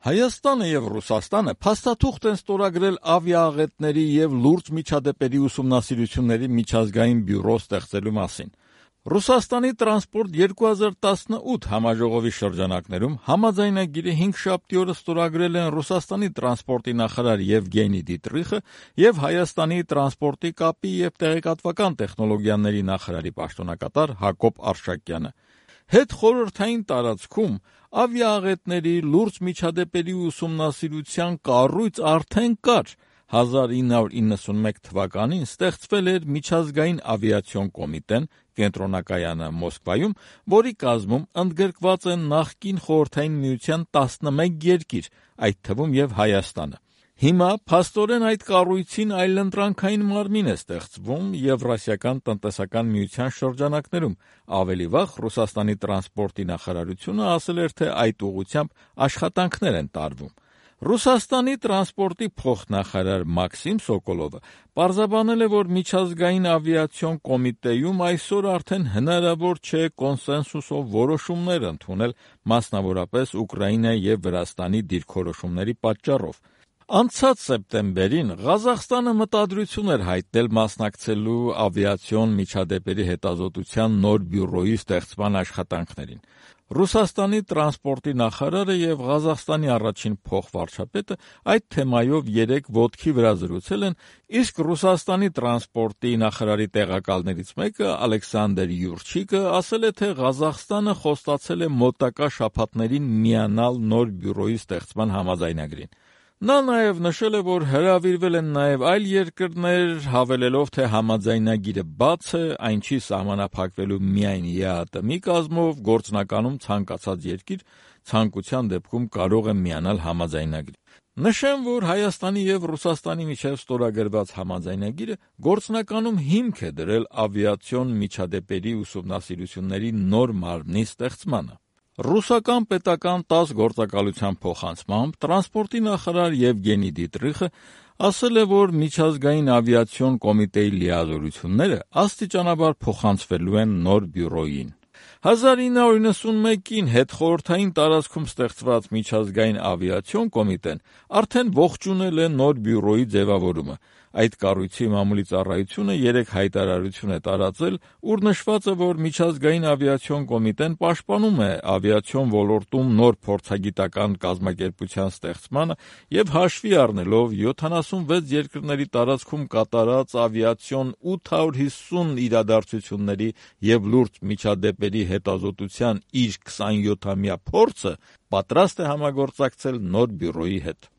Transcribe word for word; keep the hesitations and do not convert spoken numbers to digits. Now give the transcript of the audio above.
Հայաստանը եւ Ռուսաստանը փաստաթուղթ են ստորագրել ավիաաղետների եւ լուրջ միջադեպերի ուսումնասիրությունների միջազգային բյուրո ստեղծելու մասին։ Ռուսաստանի տրանսպորտ երկու հազար տասնութ համաժողովի շրջանակներում համաձայնագիրը հինգշաբթի օրը ստորագրել են Ռուսաստանի տրանսպորտի նախարար Եվգենի Դիտրիխը եւ Հայաստանի տրանսպորտի կապի եւ տեղեկատվական տեխնոլոգիաների նախարարի պաշտոնակատար Հակոբ Արշակյանը։ Հետխորհրդային տարածքում ավիաաղետների լուրջ միջադեպերի ուսումնասիրության կառույց արդեն կար։ հազար ինը հարյուր իննսունմեկ թվականին ստեղծվել էր միջազգային ավիացիոն կոմիտեն, կենտրոնակայանը Մոսկվայում, որի կազմում ընդգրկված են նախկին Խորհրդային Միության տասնմեկ երկիր, այդ թվում եւ Հայաստանը։ Հիմա փաստորեն այդ կառույցին այլընտրանքային մարմին է ստեղծվում Եվրասիական տնտեսական միության շրջանակներում։ Ավելի վաղ Ռուսաստանի տրանսպորտի նախարարությունը ասել էր, թե այդ ուղղությամբ աշխատանքներ են տարվում։ Ռուսաստանի տրանսպորտի փոխնախարար Մաքսիմ Սոկոլովը պարզաբանել է, որ միջազգային ավիացիոն կոմիտեում այսօր արդեն հնարավոր չէ կոնսենսուսով որոշումներ ընդունել, մասնավորապես Ուկրաինայի եւ Վրաստանի դիրքորոշումների պատճառով։ Անցած սեպտեմբերին Ղազախստանը մտադրություն էր հայտնել մասնակցելու ավիացիոն միջադեպերի հետազոտության նոր բյուրոյի ստեղծման աշխատանքներին։ Ռուսաստանի տրանսպորտի նախարարը եւ Ղազախստանի առաջին փոխվարչապետը այդ թեմայով երեկ ոտքի վրա զրուցել են, իսկ Ռուսաստանի տրանսպորտի նախարարի տեղակալներից մեկը Ալեքսանդր Յուրչիկը ասել է, թե Ղազախստանը խոստացել է մոտակա շաբաթներին միանալ նոր բյուրոյի ստեղծման համաձայնագրին։ Նա նաև նշել է, որ հրավիրվել են նաև այլ երկրներ, հավելելով, թե համաձայնագիրը բաց է, այն չի սահմանափակվելու միայն ԵԱՏՄ-ի կազմով, գործնականում ցանկացած երկիր ցանկության դեպքում կարող է միանալ համաձայնագրին։ Նշեմ, որ Հայաստանի եւ Ռուսաստանի միջև ստորագրված համաձայնագիրը գործնականում հիմք է դրել ավիացիոն միջադեպերի ուսումնասիրությունների նոր մարմնի ստեղծմանը։ Ռուսական պետական տաս գործակալության փոխանցմամբ տրանսպորտի նախարար Եվգենի Դիտրիխը ասել է, որ միջազգային ավիացիոն կոմիտեի լիազորությունները աստիճանաբար փոխանցվելու են նոր բյուրոյին։ հազար ինը հարյուր իննսունմեկին հետխորհրդային տարածքում ստեղծված միջազգային ավիացիոն կոմիտեն արդեն ողջունել է նոր բյուրոյի ձևավորումը։ Այդ կառույցի մամուլի ծառայությունը երեկ հայտարարություն է տարածել, ուր նշված է, որ միջազգային ավիացիոն կոմիտեն պաշտպանում է ավիացիոն ոլորտում նոր փորձագիտական կազմակերպության ստեղծմանը եւ հաշվի առնելով յոթանասունվեց երկրների տարածքում կատարած ավիացիոն ութ հարյուր հիսուն իրադարձությունների եւ լուրջ միջադեպերի հետազոտության իր քսանյոթամյա փորձը պատրաստ է համագործակցել նոր բյուրոյի հետ։